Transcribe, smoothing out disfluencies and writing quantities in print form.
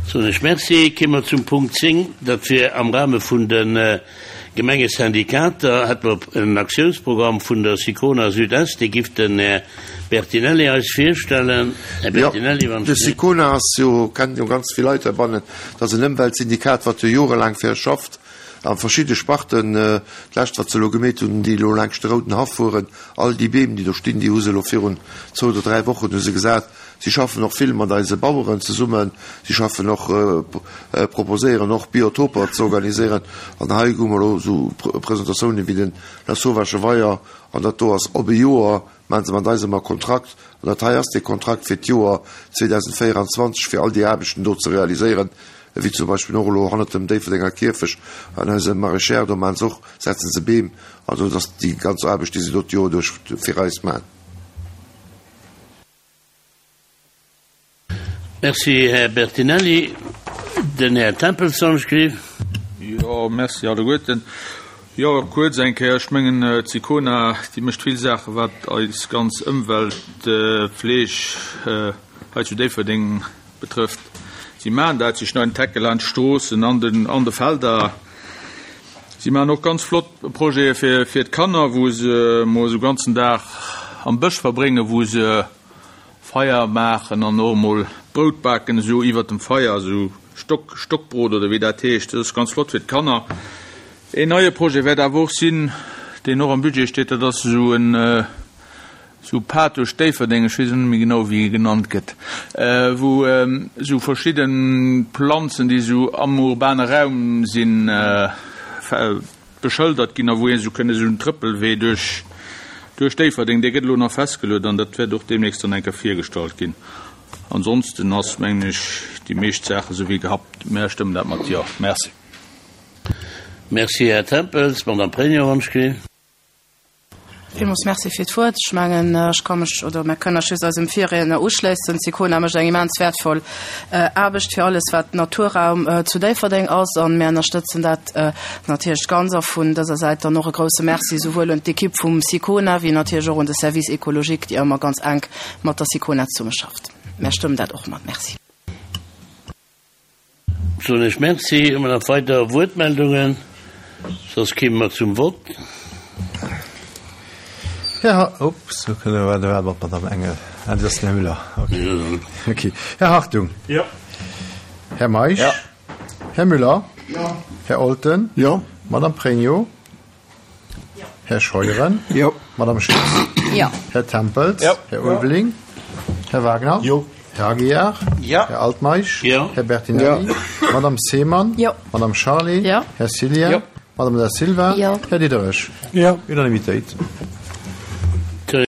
Soen ech Merci. Kéime mer zum Punkt 10, dat wier am Rahme vun de Gemengesyndikater, hätte mer en Aktiounsprogramm vun der Sicona Sud-Est, dee giff den Här Bertinelli eis virstellen. Här Bertinelli, wann Jo, de Sicona ass jo, kennen jo ganz vill Leit heibannen, dat ass en Ëmweltsyndikat, wat jo jorelaang fir eis schafft a verschidde Sparten. D'lescht, wat se elo gemeet hunn, déi elo laangscht de Rouden Haff fueren, all déi Beem, déi do stinn, déi hu se elo virun zwou oder dräi Wochen hu se gesat. Si schaffen och vill mat eise Baueren zesummen. Si schaffen och, proposéieren och Biotoper ze organiséieren. An hei hu mer elo esou Presentatiounen wéi den Lasauvage Weier. An dat do ass op e Joer, maache se mat eis ëmmer Kontrakt. An dat hei ass dee Kontrakt fir d'Joer 2024, fir all déi Aarbechten do ze realiséieren, wéi zum Beispill och elo hannert dem Déifferdenger Kierfecht an eisem Maraîchère, do maache se och, setzen se Beem. Also dat ass déi ganz Aarbecht, déi se do d'Joer duerch fir eis maachen. Merci, Här Bertinelli. Den Här Tempels soll ech gleewen. Jo, merci alleguerten. Jo, kuerz eng Kéier, ech mengen, d'Sicona, déi mécht vill Saachen, wat eis ganz Ëmweltfleeg hei zu Déifferdeng betrëfft. Si maachen dat, si schneiden d'Hecke laanscht d'Stroossen, an den, an de Felder. Si maachen och ganz flott Projete fir, fir d'Kanner, wou se emol esou ganzen Dag am Bësch verbréngen, wou se Feier maachen an och emol Brout baken, esou iwwert dem Feier, esou Stock, Stockbrot oder wéi dat heescht. Dat ass ganz flott fir d'Kanner. Een neie Projet wäert awer och sinn, deen och am Budget steet, dat ass esou en, esou Pad duerch Déifferdeng, ech weess elo net méi genau wéi e genannt gëtt, wou esou verschidde Planzen, déi esou am urbane Raum sinn, beschëldert ginn a wou ee esou kënne esou en Trëppelwee duerch duerch Déifferdeng, dee gëtt elo nach festgeluet an dat wäert och deemnächst dann eng Kéier virgestallt ginn. Ansonsten ass, mengen ech, déi meescht Saache sou wéi gehabt. Mär stëmmen dat mat Jo. Merci. Merci, Här Tempels. D'Madame Pregno, wann ech gleewen. Villmools Merci fir d'Wuert. Ech mengen, ech ka mech, oder mär kënnen eis just eisem Virriedner uschléissen. D'Sicona mécht eng immens wäertvoll Aarbecht fir alles, wat Naturraum zu Déifferdeng ass, a mär ënnerstëtzen dat natierlech ganz. A vun dëser Säit dann och e grouse Merci souwuel un d'Ekipp vum Sicona wéi natierlech och un de Service écologique, déi ëmmer ganz enk mat der Sicona zesummeschafft. Mär stëmmen dat och mat. Merci. Soen ech Merci. Hu mer nach weider Wuertmeldungen? Soss kéime mer zum Vott. Här, ups, do kënne mer, da war d'Madame Engel. Ah, dat ass den Här Müller. Okay. Okay. Här Hartung. Jo. Här Meisch. Jo. Här Müller. Jo. Här Olten. Jo. Madame Pregno. Här Scheuren. Jo. Madame Schütz. Jo. Här Tempels. Jo. Här Ulveling. Här Wagner. Jo. Här Aguiar. Jo. Här Altmeisch. Jo. Här Bertinelli. Jo. Madame Seemann. Jo. Madame Charlé. Jo. Här Cillien. Jo. Madame Da Silva. Jo. Här Diderich. Jo. Unanimitéit.